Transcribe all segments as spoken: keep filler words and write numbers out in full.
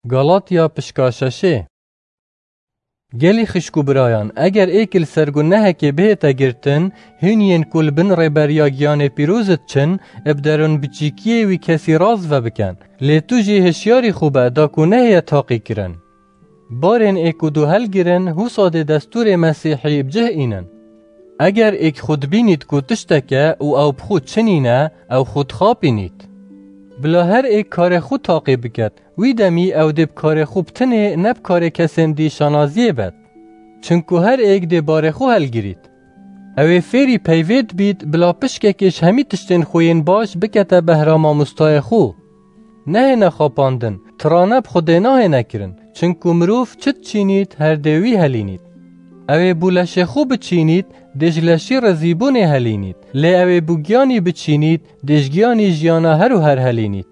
Galatya pişka şeşê. Gelî xişk û birayan, eger êk li ser gunehekê bihête girtin, hîn yên ku li bin rêberiya giyanê pîroz diçin, bi derûn biçîkiyê wî kesî rast vebikin. Lê tu jî hişyarî xwe be da ku nehêye taqî kirin. Barên ê ku du helgirin, husa dê destûrê Mesîhî bi cih înin. Eger êk xwe dibînît ku tiştek e û ew bi xwe çi nîne, ew xwe dixapînît. Bila her êk karê xwe taqî biket, wî demî ew dê bi karê xwe bi tinê ne bi karê kesên dî şanaziyê bet. Çinku her êk dê barê xwe helgirît. Ew ê fêrî peyvê dibît, bila pişkekê ji hemî tiştên xwe yên baş bikete behra mamostayê xwe. Nehêne xapandin, tirane bi Xwedê nahêne kirin, çinku mirov çi diçînît, her dê wî helînît. Ew ê bû leşê xwe biçînît, dê ji leşî rizîbûnê helînît, lê ew ê bû giyanî biçînît, dê ji giyanî jiyana her û her helînît.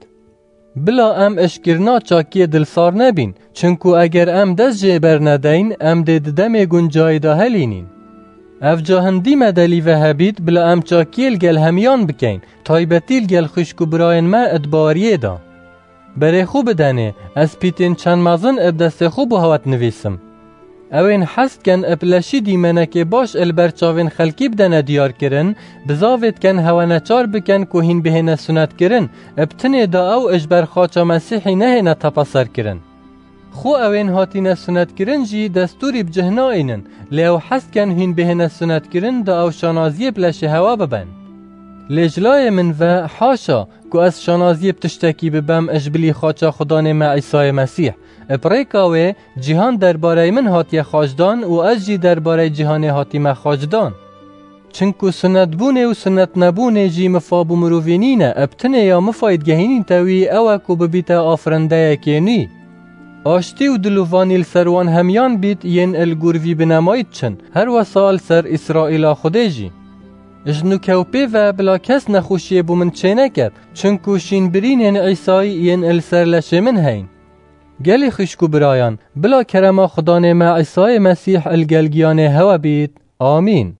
Bila em eşkirina çakiyê dilsar nebîn, çinku eger em dest jê bernedeyn, em dê di demê guncayî de helînîn. Ev ca hindî me delî ve hebît, bila em çakiyê li gel hemiyan bikeyn, taybetî li gel xwişk û birayên me di baweriyê de. Berê xwe bidenê, ez pîtên çend mezin bi destê xwe bo hewe dinivîsim. Ew ên hez dikin bi leşî dîmenekê baş li ber çavên xelkî bidene diyarkirin, bizavê dikin hewe neçar bikin ku hîn bihêne sunetkirin, bi tinê da ew ji ber xaça Mesîhî nehêne tepeserkirin. Xwe ew ên hatîne sunetkirin jî destûrî bi cih naînin, lê ew hez dikin hîn bihêne sunetkirin da ew şanaziyê bi leşê hewe bibin. Lê ji layê min ve, haşa, ku ez şanaziyê bi tiştekî bibem ji bilî xaça Xudanê me Îsayê Mesîh. Bi rêka wê, cîhan derbarey min hatiye xaçdan û ez jî derbarey cîhanê hatîme xaçdan. Çinku sunetbûnê û sunetnebûnê jî mifa bo mirovî nîne, bi tinê ya mifayî digehînîte wî ew e ku bibîte afirindeyekê nû. Aştî û dilovanî li ser wan hemiyan bît yên li gor vî binemayî diçin, her wesa li ser Îsraîla Xwedê jî. Ji nûke û pê ve bila kes nexweşiyê bo min çêneket, çinku şînbirînên Îsayî yên li ser leşê min heyn. Gelî xwişk û birayan, bila kerema Xudanê me Îsayê Mesîh li gel giyanê hewe bît. Amîn.